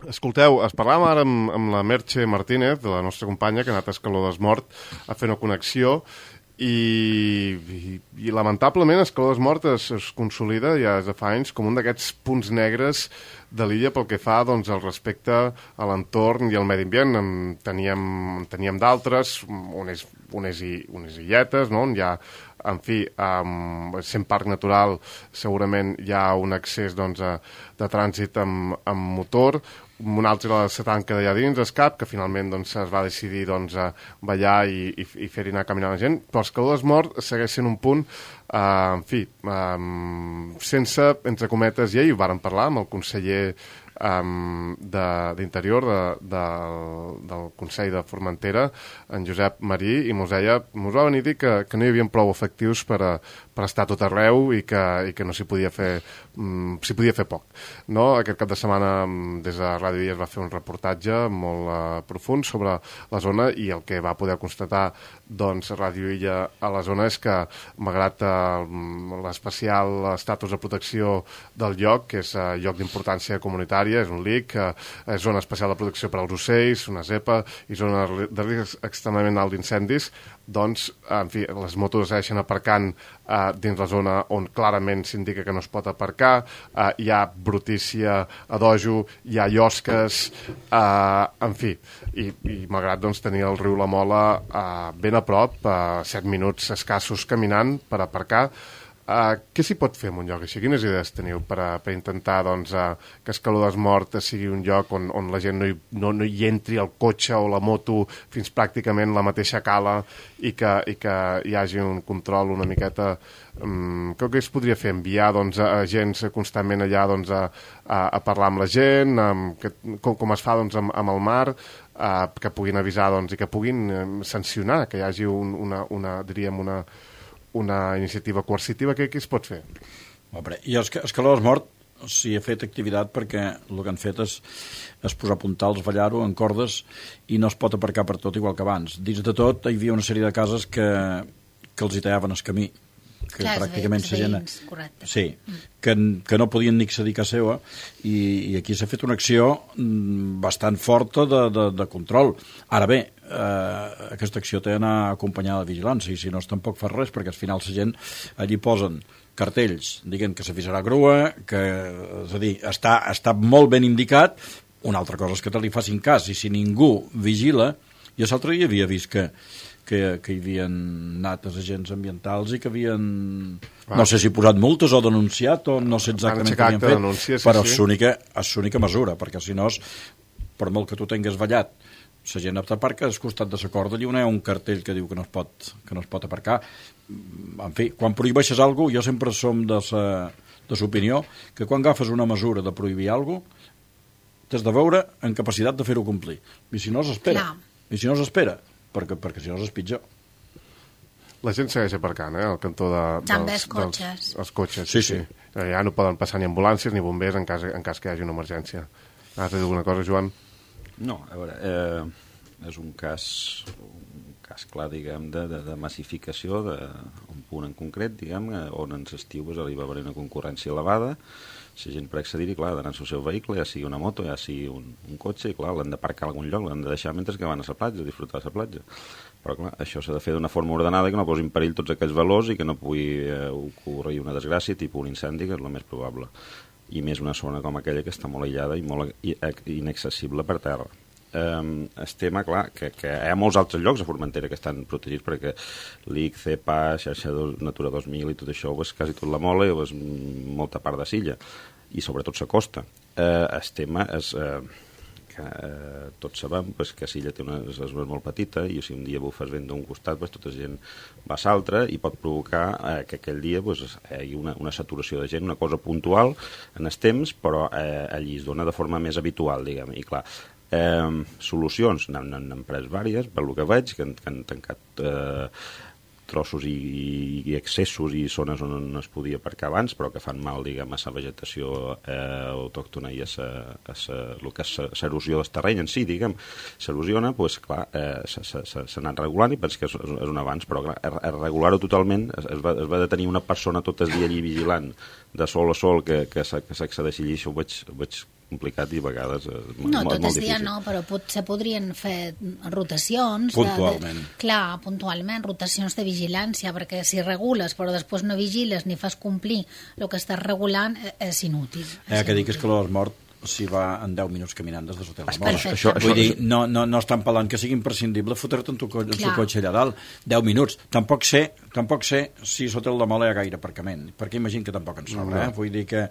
Escolteu, parlàvem ara amb la Merche Martínez, de la nostra companya, que ha anat a Escaló d'Esmort a fer una connexió, i lamentablement Escaló d'Esmort es consolida ja des de fa anys com un d'aquests punts negres de l'illa pel que fa doncs, al respecte a l'entorn i al medi ambient. Teníem d'altres, unes illetes, no? On hi ha, en fi, sent parc natural, segurament hi ha un accés doncs, de trànsit amb motor. Un altre era la Setanca d'allà dins, Escap, que finalment doncs, es va decidir doncs, a ballar i fer-hi anar caminant la gent, però Escaló d'Esmort segueix sent un punt, en fi, sense, entre cometes, i ahir ho vàrem parlar amb el conseller d'Interior del Consell de Formentera, en Josep Marí, i mos va venir a dir que no hi havia prou efectius per estar tot arreu i que no s'hi podia fer poc. No? Aquest cap de setmana des de Ràdio Illa es va fer un reportatge molt profund sobre la zona, i el que va poder constatar doncs, Ràdio Illa a la zona és que, malgrat l'especial estatus de protecció del lloc, que és lloc d'importància comunitària, és un LIC, és zona especial de protecció per als ocells, una zepa i zona de risc extremadament alt d'incendis, doncs, en fi, les motos segueixen aparcant dins la zona on clarament s'indica que no es pot aparcar, hi ha brutícia a dojo, hi ha llosques, en fi, i malgrat doncs, tenir el riu La Mola ben a prop, 7 minuts escassos caminant per aparcar, què s'hi pot fer en un lloc així? Quines idees teniu per intentar doncs, que Escaló d'Esmort sigui un lloc on la gent no hi entri el cotxe o la moto fins pràcticament la mateixa cala i que hi hagi un control una miqueta... Què es podria fer? Enviar doncs, agents constantment allà doncs, a parlar amb la gent, com es fa doncs, amb el mar, que puguin avisar doncs, i que puguin sancionar, que hi hagi una iniciativa coercitiva. Què es pot fer? I Escaló d'Esmort s'hi ha fet activitat perquè el que han fet és posar puntals, ballar-ho en cordes, i no es pot aparcar per tot igual que abans. Dins de tot hi havia una sèrie de cases que els hi tallaven el camí, que clar, pràcticament la gent... Sí, que no podien ni accedir a casa seva, i aquí s'ha fet una acció bastant forta de control. Ara bé, aquesta acció té d'anar acompanyada de vigilància, i si no tampoc fa res, perquè al final la gent allí posen cartells dient que s'avisarà grua, que, és a dir, està molt ben indicat. Una altra cosa és que te li facin cas, i si ningú vigila... Jo l'altre dia havia vist que hi havia anat els agents ambientals i que havien, no sé si posat multes o denunciat, o no sé exactament què havien fet, denúncia, però és l'única mesura, perquè si no, per molt que tu tingues ballat, la gent t'aparca al costat de la corda, allà on hi ha un cartell que diu que no es pot aparcar. En fi, quan prohibeixes alguna cosa, jo sempre som de l'opinió que quan agafes una mesura de prohibir alguna cosa, t'has de veure en capacitat de fer-ho complir. I si no, s'espera. Perquè si no és pitjor. La gent segueix aparcant, al cantó també els cotxes. Els cotxes, sí. Ja no poden passar ni ambulàncies ni bombers en cas que hi hagi una emergència. Has de dir alguna cosa, Joan? No, a veure, és un cas clar, diguem, de massificació d'un punt en concret, diguem, on en l'estiu hi va haver una concurrència elevada. La gent per accedir-hi, clar, ha d'anar al seu vehicle, ja sigui una moto, ja sigui un cotxe, i clar, l'han d'aparcar a algun lloc, l'han de deixar mentre que van a la platja, a disfrutar de la platja. Però clar, això s'ha de fer d'una forma ordenada, que no posi en perill tots aquells valors i que no pugui ocórrer una desgràcia, tipus un incendi, que és el més probable. I més una zona com aquella que està molt aïllada i molt inaccessible per terra. El tema, clar, que hi ha molts altres llocs a Formentera que estan protegits perquè l'IC, CEPA, xarxa Natura 2000 i tot això és quasi tot la Mola i és molta part de l'illa, i sobretot la costa. El tema és que tots sabem que l'illa té una zona molt petita, i si un dia bufes vent d'un costat, tota la gent va a l'altre, i pot provocar que aquell dia hi hagi una saturació de gent, una cosa puntual en els temps, però allí es dona de forma més habitual, diguem. I clar, solucions n'han pres diverses, per el que veig, que han tancat trossos i excessos i zones on no es podia aparcar abans, però que fan mal, diguem, a la vegetació autòctona i a el que és l'erosió del terreny en si, diguem. S'erosiona, doncs, clar, s'ha anat regulant, i penso que és un avanç, però clar, regular-ho totalment es va de tenir una persona tot el dia allí vigilant, de sol a sol, que s'accedeixi allí. Això ho veig complicat i a vegades No, molt tot el dia difícil. no, però potser podrien fer rotacions. Puntualment. Clar, puntualment, rotacions de vigilància, perquè si regules però després no vigiles ni fas complir el que estàs regulant, és inútil. Que dic és que l'Hort Mort s'hi va en 10 minuts caminant des de l'hotel de Mort. Perfecte. Vull dir, no estan parlant que sigui imprescindible fotre-te en el cotxe allà dalt 10 minuts. Tampoc sé si l'hotel de Mola hi ha gaire aparcament, perquè imagino que tampoc en sobra, vull dir que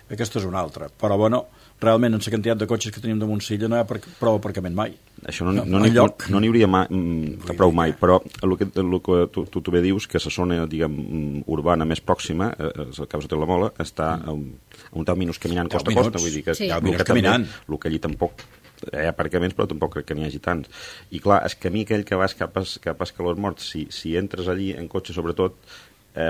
aquesta és una altra. Però bueno, realment en la quantitat de cotxes que tenim damunt Silla no hi ha prou aparcament mai. Això no n'hi hauria prou mai, però el que tu bé dius, que la zona, diguem, urbana més pròxima, el Cap Hotel de la Mola, està a un 10 minuts caminant costa a costa, vull dir que, sí. Minuts caminant. El que allí tampoc hi ha aparcaments, però tampoc crec que n'hi hagi tants. I clar, el camí aquell que vas cap a Escalós Morts, si entres allí en cotxe, sobretot,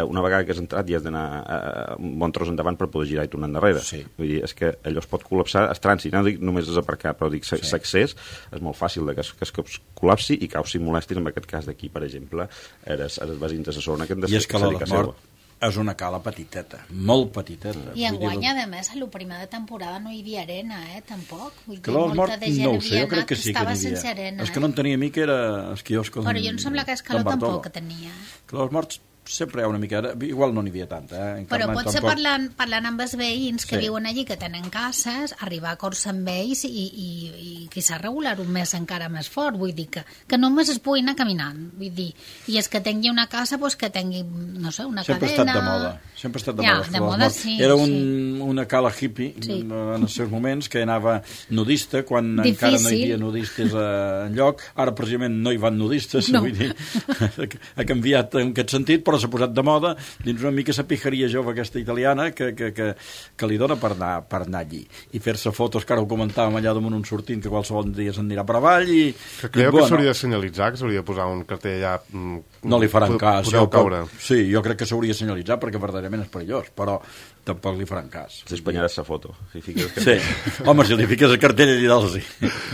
una vegada que has entrat ja has d'anar un bon tros endavant per poder girar i tornar endarrere. Sí. Vull dir, és que allò es pot col·lapsar, el trànsit, no dic només és aparcar, però dic l'accés és molt fàcil que es col·lapsi i causi molèsties, en aquest cas d'aquí, per exemple, els veïns de la zona que han de I és que l'Hort Mort és una cala petiteta, molt petiteta. I enguany, a més, a la primera temporada no hi havia arena, tampoc. Vull dir, Que l'Hort Mort molta de gent no ho sé, havia jo crec anat que sí que estava n'hi sense havia. arena. És que no en tenia a mi que era el quiosco Però jo em sembla que Escaló tampoc tenia. Que l'Hort Mort sempre hi ha una mica... Igual no n'hi havia tanta, Però potser parlant amb els veïns que Sí. viuen allí, que tenen cases, arribar a acords amb ells i quizà regular un mes encara més fort, vull dir que només es pugui anar caminant, vull dir, i és que tingui una casa, doncs que tingui, no sé, una sempre cadena... Sempre ha estat de Ja, moda. de moda sí. Era una cala hippie en els seus moments, que anava nudista, quan encara no hi havia nudistes enlloc. Ara, precisament, no hi van nudistes, vull dir, ha canviat en aquest sentit, però s'ha posat de moda dins una mica la pijaria jove aquesta italiana que li dona per anar allí i fer-se fotos, que ara ho comentàvem allà damunt un sortint que qualsevol dia se'n anirà per avall que creieu que s'hauria de senyalitzar, que s'hauria de posar un cartell allà no li faran cas, podeu caure. Sí, jo crec que s'hauria de senyalitzar perquè verdaderament és perillós, però tampoc li faran cas. S'espanyaràs la foto. Si fiques sí, home, si li fiques el cartell allà dalt, sí.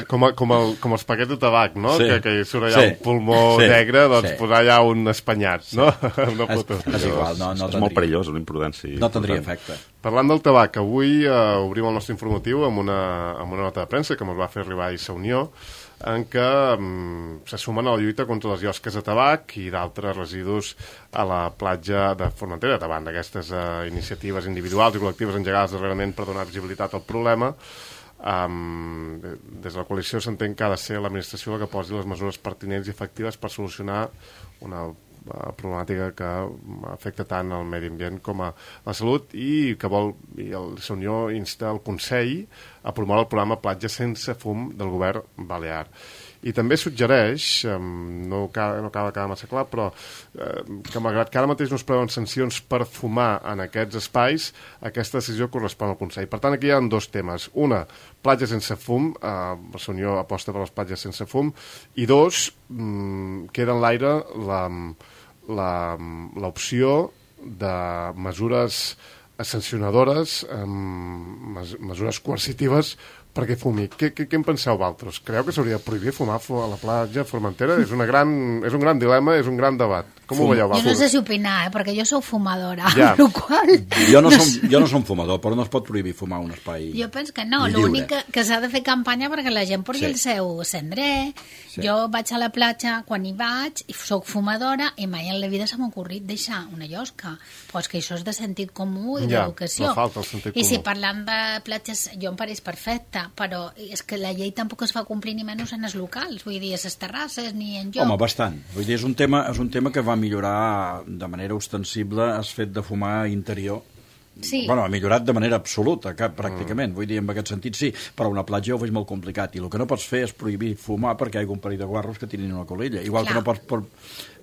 Com els paquets de tabac, no? Sí. Que surt allà un pulmó negre, doncs posar allà un espanyat, no? Una foto. És igual, no és molt perillós, l'imprudència. No tindria efecte. Parlant del tabac, avui obrim el nostre informatiu amb una nota de premsa que ens va fer arribar a Issa Unió, en què se sumen a la lluita contra les llosques de tabac i d'altres residus a la platja de Formentera, davant d'aquestes iniciatives individuals i col·lectives engegades darrerament per donar visibilitat al problema. Des de la coalició s'entén que ha de ser l'administració la que posi les mesures pertinents i efectives per solucionar una problemàtica que afecta tant el medi ambient com a la salut i que el Unió insta el Consell a promoure el programa Platja sense fum del govern balear. I també suggereix, no acaba de quedar massa clar, però que malgrat que ara mateix no es preveuen sancions per fumar en aquests espais, aquesta decisió correspon al Consell. Per tant, aquí hi ha dos temes. Una, platja sense fum, la Unió aposta per les platges sense fum, i dos, queda en l'aire l'opció de mesures sancionadores, mesures coercitives perquè fumi. Què en penseu vosaltres? Creu que s'hauria de prohibir fumar a la platja Formentera? És un gran dilema, és un gran debat. Com ho veieu vosaltres? Jo no sé si opinar, perquè jo sou fumadora, ja. amb la qual... Jo no som fumador, però no es pot prohibir fumar un espai Jo penso que no, l'únic que s'ha de fer campanya perquè la gent porti el seu cendrer. Jo vaig a la platja quan hi vaig i soc fumadora i mai en la vida s'ha m'ocorrit deixar una llosca. Pues que això és de sentit comú i d'educació. No falta el sentit comú. I si parlant de platges, jo em pareix perfecte, però és que la llei tampoc es fa complir ni menys en els locals, vull dir, a les terrasses ni en lloc. Home, bastant. Vull dir, és un tema que va millorar de manera ostensible el fet de fumar interior. Sí. Bueno, ha millorat de manera absoluta, pràcticament. Vull dir, en aquest sentit sí, però una platja ho veig molt complicat. I el que no pots fer és prohibir fumar perquè hi ha un parell de guarros que tirin una colella. Igual que no pots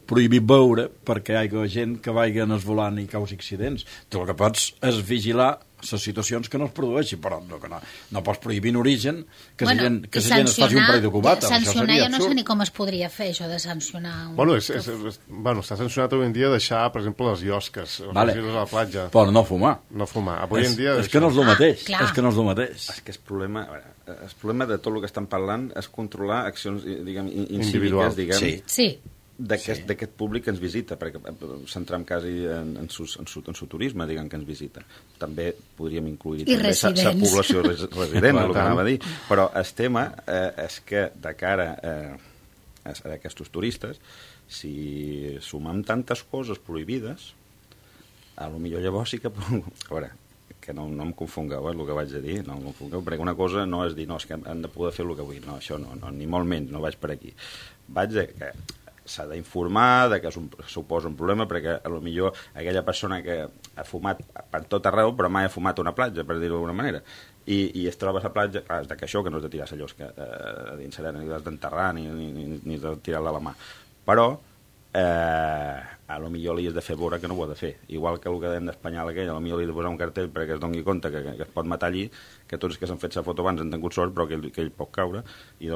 prohibir beure perquè hi ha gent que vagi en el volant i causi accidents. Tu el que pots és vigilar les situacions que no es produeixin, però no pots prohibir en origen que la gent es faci un parell de cubates. Sancionar jo no sé ni com es podria fer, això de sancionar... Bueno, està sancionat avui en dia deixar, per exemple, les llosques, els residus a la platja. Però no fumar. No fumar. Avui en dia... És que no és el mateix. És que no és el mateix. És que el problema de tot el que estan parlant és controlar accions, diguem, incíviques, diguem. Sí. d'aquest públic que ens visita, perquè centram quasi en su turisme, diguem, que ens visita. També podríem incluir sa població resident, el que anava a dir. Però el tema és que de cara a aquests turistes, si sumem tantes coses prohibides, a lo millor llavors sí que... A veure, que no em confongueu, el que vaig a dir, no em confongueu, perquè una cosa no és dir, no, és que hem de poder fer el que vull, no, això no, ni molt menys, no vaig per aquí. Vaig a que s'ha d'informar que suposa un problema, perquè potser aquella persona que ha fumat per tot arreu, però mai ha fumat una platja, per dir-ho d'alguna manera, i es troba a la platja, és que això, que no és de tirar la llosca a dins serena, ni has d'enterrar, ni de tirar-la a la mà. Però potser li has de fer veure que no ho ha de fer. Igual que el que dèiem d'Espanyol aquell, potser li has de posar un cartell perquè es doni compte que es pot matar allí, que tots els que s'han fet la foto abans han tingut sort, però que ell pot caure. I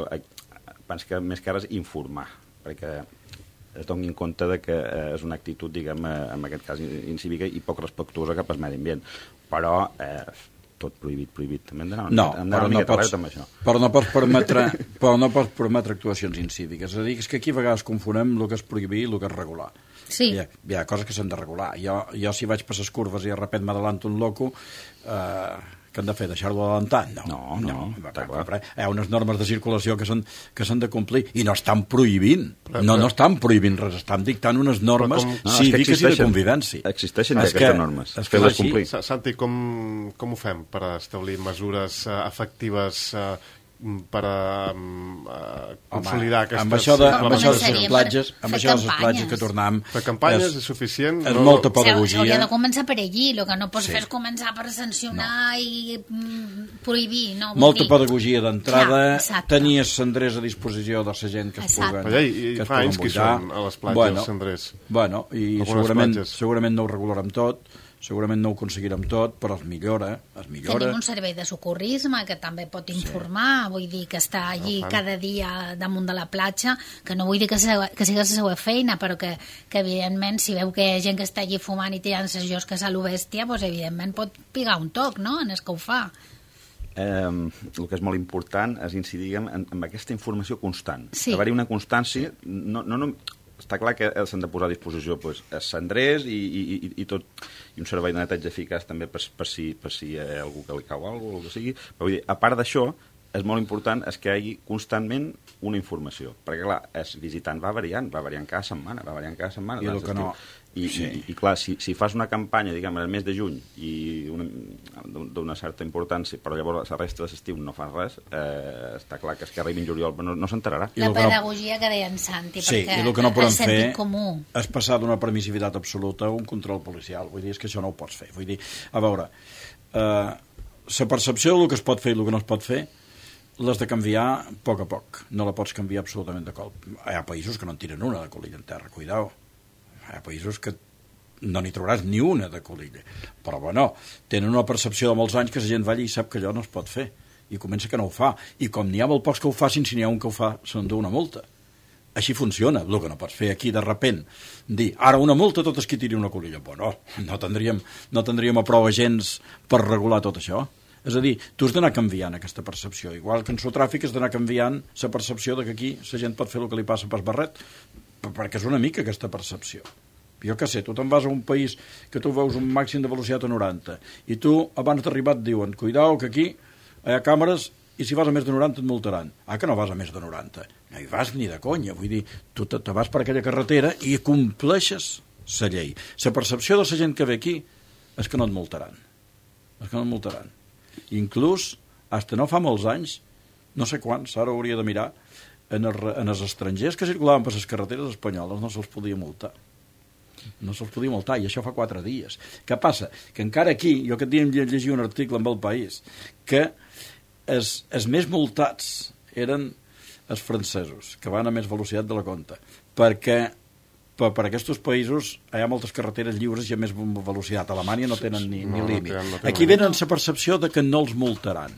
penso que més que ara és informar, perquè es donin compte de que és una actitud, diguem, en aquest cas incívica i poc respectuosa cap al medi ambient. Però tot prohibit. També hem d'anar una miqueta alerta amb això. Però no pots permetre actuacions incíviques. És a dir, és que aquí a vegades confonem el que és prohibir i el que és regular. Sí. Hi ha coses que s'han de regular. Jo si vaig per les curves i de repent m'adalanto un loco, que han de fer? Deixar-lo adelantar? No. Hi ha unes normes de circulació que s'han de complir i no estan prohibint. No estan prohibint res, estan dictant unes normes cíviques i de convivència. Existeixen ja aquestes normes. Fer-les complir. Santi, com ho fem per establir mesures efectives per consolidar aquestes... Amb això de les platges que tornem... Fer campanyes és suficient? És molta pedagogia. S'hauria de començar per allí, el que no pots fer és començar per sancionar i prohibir. Molta pedagogia d'entrada, tenir els cendrers a disposició de la gent que es puguen... I fa anys que són a les platges, els cendrers. Bueno, i segurament no ho regularem tot, segurament no ho aconseguirem tot, però es millora. Tenim un servei de socorrisme que també pot informar, vull dir que està allí cada dia damunt de la platja, que no vull dir que sigui la seva feina, però que evidentment si veu que hi ha gent que està allí fumant i tirant les llosques a lo bèstia, doncs evidentment pot pigar un toc, no?, en el que ho fa. El que és molt important és incidir en aquesta informació constant. Haver-hi una constància, està clar que s'han de posar a disposició els cendrers i un servei de neteja eficaç també per si hi ha algú que li cau alguna cosa, el que sigui. Però vull dir, a part d'això, és molt important que hi hagi constantment una informació, perquè clar, el visitant va variant cada setmana, I el que no... I clar, si fas una campanya, diguem, el mes de juny i d'una certa importància, però llavors la resta de l'estiu no fas res, està clar que arribi en juliol no s'enterarà. La pedagogia que deia en Santi, perquè i el que no podem fer comú és passar d'una permissivitat absoluta a un control policial. Vull dir, és que això no ho pots fer. Vull dir, a veure, la percepció del que es pot fer i el que no es pot fer l'has de canviar a poc. No la pots canviar absolutament de cop. Hi ha països que no en tiren una de colilla en terra, cuidao. Hi ha països que no n'hi trobaràs ni una de colilla. Però, bueno, tenen una percepció de molts anys que la gent va allà i sap que allò no es pot fer. I comença que no ho fa. I com n'hi ha molt pocs que ho facin, si n'hi ha un que ho fa, s'endú una multa. Així funciona. El que no pots fer aquí, de repent, dir, ara una multa a totes qui tiri una colilla. Bueno, no tindríem a prou agents per regular tot això. És a dir, tu has d'anar canviant aquesta percepció. Igual que en el tràfic has d'anar canviant la percepció de que aquí la gent pot fer el que li passa pel barret, perquè és una mica aquesta percepció. Jo què sé, tu te'n vas a un país que tu veus un màxim de velocitat a 90 i tu abans d'arribar et diuen, cuidao que aquí hi ha càmeres i si vas a més de 90 et multaran. Que no vas a més de 90? No hi vas ni de conya. Vull dir, tu te vas per aquella carretera i compleixes la llei. La percepció de la gent que ve aquí és que no et multaran. Inclús, fins no fa molts anys, no sé quants, ara hauria de mirar, en els estrangers que circulaven per les carreteres espanyoles no se'ls podia multar. I això fa 4 dies. Què passa? Que encara aquí, jo aquest dia em llegia un article amb El País, que els més multats eren els francesos, que van a més velocitat de la compta, perquè per aquests països hi ha moltes carreteres lliures i a més velocitat. A Alemanya no tenen ni límit. Aquí venen la percepció de que no els multaran.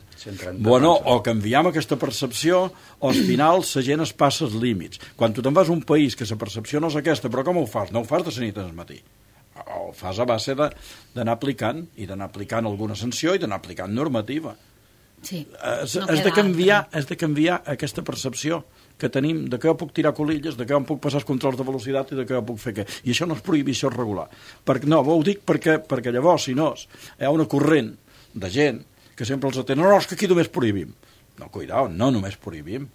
Bueno, o canviem aquesta percepció o al final la gent es passa els límits. Quan tu te'n vas a un país que la percepció no és aquesta, però com ho fas? No ho fas de la nit al matí. Ho fas a base d'anar aplicant alguna sanció i d'anar aplicant normativa. Sí, Has no de queda canviar aquesta percepció que tenim de que jo puc tirar colilles, de que jo puc passar els controls de velocitat i de que jo puc fer què. I això no és prohibició regular. No, ho dic perquè llavors, si no, hi ha una corrent de gent que sempre els atén. No, és que aquí només prohibim. No, cuidao, no només prohibim.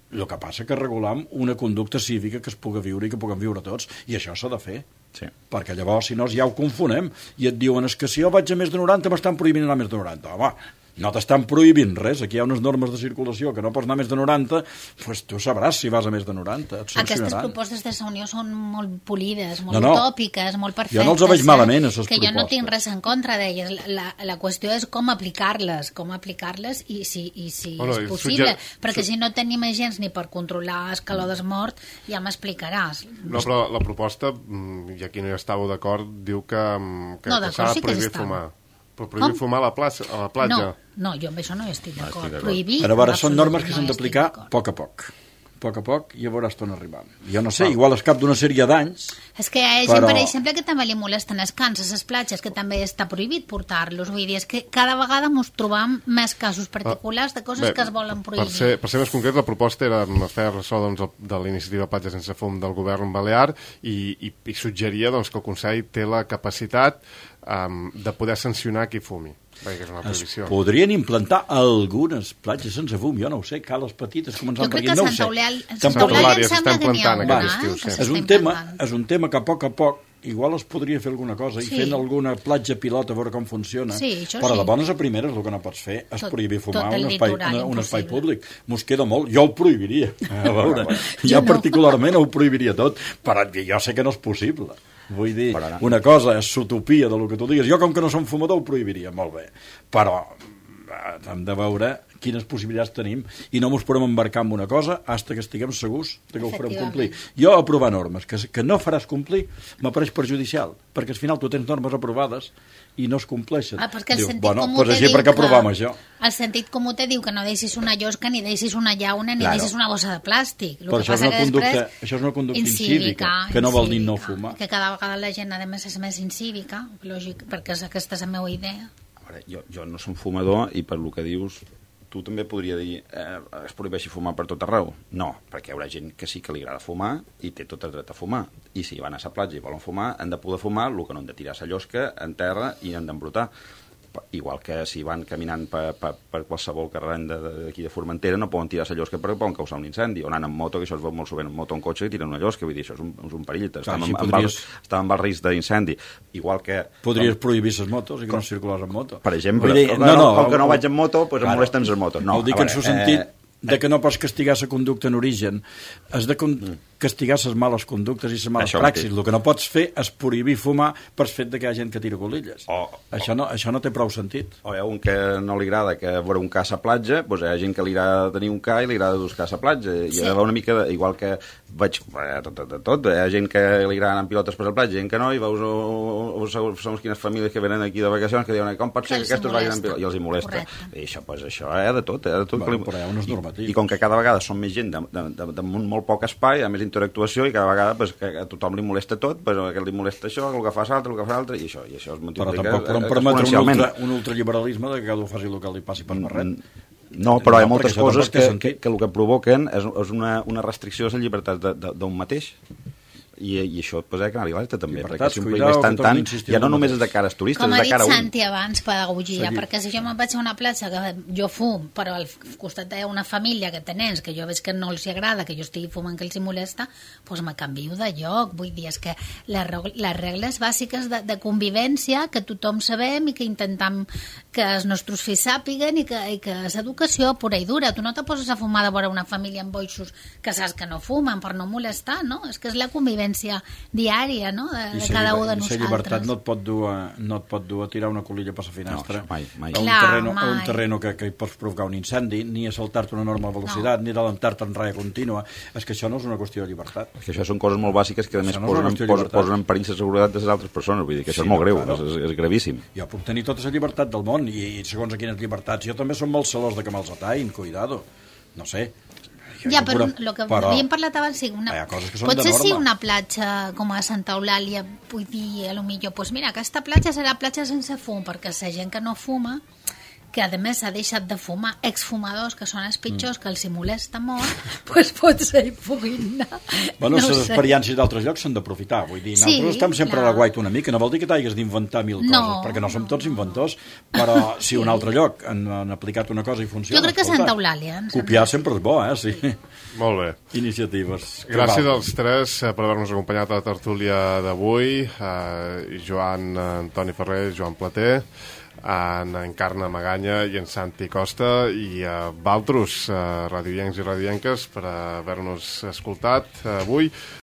El que passa que regulam una conducta cívica que es pugui viure i que puguem viure tots, i això s'ha de fer. Sí. Perquè llavors, si no, ja ho confonem i et diuen, és que si jo vaig a més de 90 m'estan prohibint anar a més de 90. Home, no t'estan prohibint res, aquí hi ha unes normes de circulació que no pots anar a més de 90, doncs tu sabràs si vas a més de 90, et sancionaran. Aquestes propostes de Unió són molt polides, molt utòpiques, molt perfectes. Jo no els veig malament, aquestes propostes. Que jo no tinc res en contra d'elles. La qüestió és com aplicar-les i si és possible. Perquè si no tenim agents ni per controlar escalades mort, ja m'explicaràs. No, però la proposta, i aquí no hi estàveu d'acord, diu que s'ha de prohibir fumar. Però prohibir fumar a la platja. No, jo amb això no hi estic d'acord. Prohibir... Però a veure, són normes que s'han d'aplicar a poc. A poc i ja veuràs on arribant. Jo no sé, igual es cap d'una sèrie d'anys... És que hi ha gent, per exemple, que també li molesten els cans a les platges, que també està prohibit portar-los. Vull dir, és que cada vegada ens trobam més casos particulars de coses que es volen prohibir. Per ser més concret, la proposta era fer ressò de la iniciativa Platja sense fum del govern balear i suggeria que el Consell té la capacitat de poder sancionar qui fumi, perquè és una prohibició. Es podrien implantar algunes platges sense fum, jo no ho sé, cales petites, començant per aquí, no ho sé. Jo crec que a Sant Eulàlia em sembla que n'hi ha una, És un tema que a poc igual es podria fer alguna cosa i fent alguna platja pilot a veure com funciona, però de bones a primeres el que no pots fer és prohibir fumar un espai públic. Mos queda molt, jo ho prohibiria, a veure, jo particularment ho prohibiria tot, però jo sé que no és possible. Vull dir, una cosa és l'utopia del que tu digues. Jo, com que no som fumador, ho prohibiria, molt bé. Però hem de veure quines possibilitats tenim i no ens podem embarcar en una cosa fins que estiguem segurs que ho farem complir. Jo aprovar normes que no faràs complir m'apareix perjudicial, perquè al final tu tens normes aprovades i no es compleixen. Perquè el sentit comú te diu el sentit comú te diu que no deixis una llosca, ni deixis una llauna, ni deixis una bossa de plàstic. Però això és una conducta incívica, que no vol dir no fumar. Que cada vegada la gent, a més, és més incívica, lògic, perquè aquesta és la meva idea. Jo no som fumador i per lo que dius tu també podria dir es prohibeixi fumar per tot arreu. No, perquè hi haurà gent que sí que li agrada fumar i té tot el dret a fumar. I si van a la platja i volen fumar, han de poder fumar, el que no han de tirar la llosca en terra i han d'embrutar. Igual que si van caminant per qualsevol carrer d'aquí de Formentera no poden tirar la llosca perquè poden causar un incendi, o anant amb moto, que això es veu molt sovint en moto o en cotxe, que tiren una llosca, vull dir, això és un perill, estàvem amb el risc d'incendi. Igual que... Podries prohibir les motos i que no circulars amb moto. Per exemple, com que no vaig amb moto, doncs em molesten les motos. No, dic en el sentit de que no pots castigar la conducta en origen, has de castigar les males conductes i les males praxis. El que no pots fer és prohibir fumar per fet que hi ha gent que tira colilles. Això no té prou sentit. O hi ha un que no li agrada que veure un ca a la platja, doncs hi ha gent que li agrada tenir un ca i li agrada dos ca a la platja. I hi ha una mica, igual que veig tot, hi ha gent que li agrada anar amb pilotes per la platja, gent que no, i veus segons quines famílies que venen aquí de vacacions que diuen, com pot ser que aquests vagin amb pilotes? I els hi molesta. I això hi ha de tot. Però hi ha unes normatives. I com que cada vegada són més gent damunt molt poc espai, hi ha més interactuació i cada vegada que a tothom li molesta tot, però a aquest li molesta això, el que fa l'altre, i això es multiplica. Però tampoc podem permetre un ultraliberalisme de que cadascú faci el que li passi per barret. No, però hi ha moltes coses que el que provoquen és una restricció a la llibertat d'un mateix. I això pues, ha que anar alerta també, perquè si un país ja no només és de cara als turistes, com és de cara a un. Com ha dit Santi abans, pedagogia, perquè si jo me'n vaig a una platja que jo fum, però al costat hi ha una família que té nens, que jo veig que no els agrada, que jo estigui fumant, que els molesta, doncs me canvio de lloc. Vull dir, és que les regles bàsiques de convivència, que tothom sabem i que intentem que els nostres fills sàpiguen i que és educació pura i dura. Tu no te poses a fumar de vora una família amb boixos que saps que no fumen per no molestar, no? És que és la convivència diària, no? De cada un de nosaltres. I la llibertat no et pot dur a tirar una colilla per la finestra mai. A un terreny que hi pots provocar un incendi, ni a saltar-te una enorme velocitat, ni adelantar-te en raia contínua. És que això no és una qüestió de llibertat. És que això són coses molt bàsiques que a més posen en perill la seguretat de les altres persones. Vull dir que això és molt greu, és gravíssim. Jo puc tenir tota la llibertat del món i segons a quines llibertats. Jo també som molt celós de que me'ls atain, cuidado. No sé. Ja, però el que havíem parlat abans, potser si una platja com a Santa Eulàlia, vull dir, potser, doncs mira, aquesta platja serà platja sense fum, perquè la gent que no fuma, que a més s'ha deixat de fumar, exfumadors, que són els pitjors, que els hi molesta molt, doncs potser hi puguin anar. Bueno, les experiències d'altres llocs s'han d'aprofitar, vull dir, nosaltres estem sempre a la guaita una mica, no vol dir que t'hagis d'inventar mil coses, perquè no som tots inventors, però si un altre lloc han aplicat una cosa i funciona... Jo crec que Santa Eulàlia. Copiar sempre és bo, sí. Molt bé. Iniciatives. Gràcies als tres per haver-nos acompanyat a la tertúlia d'avui. Joan Antoni Ferrer, Joan Plater, en Encarna Maganya i en Santi Costa, i a Valtros, radioiencs i radioienques, per haver-nos escoltat avui.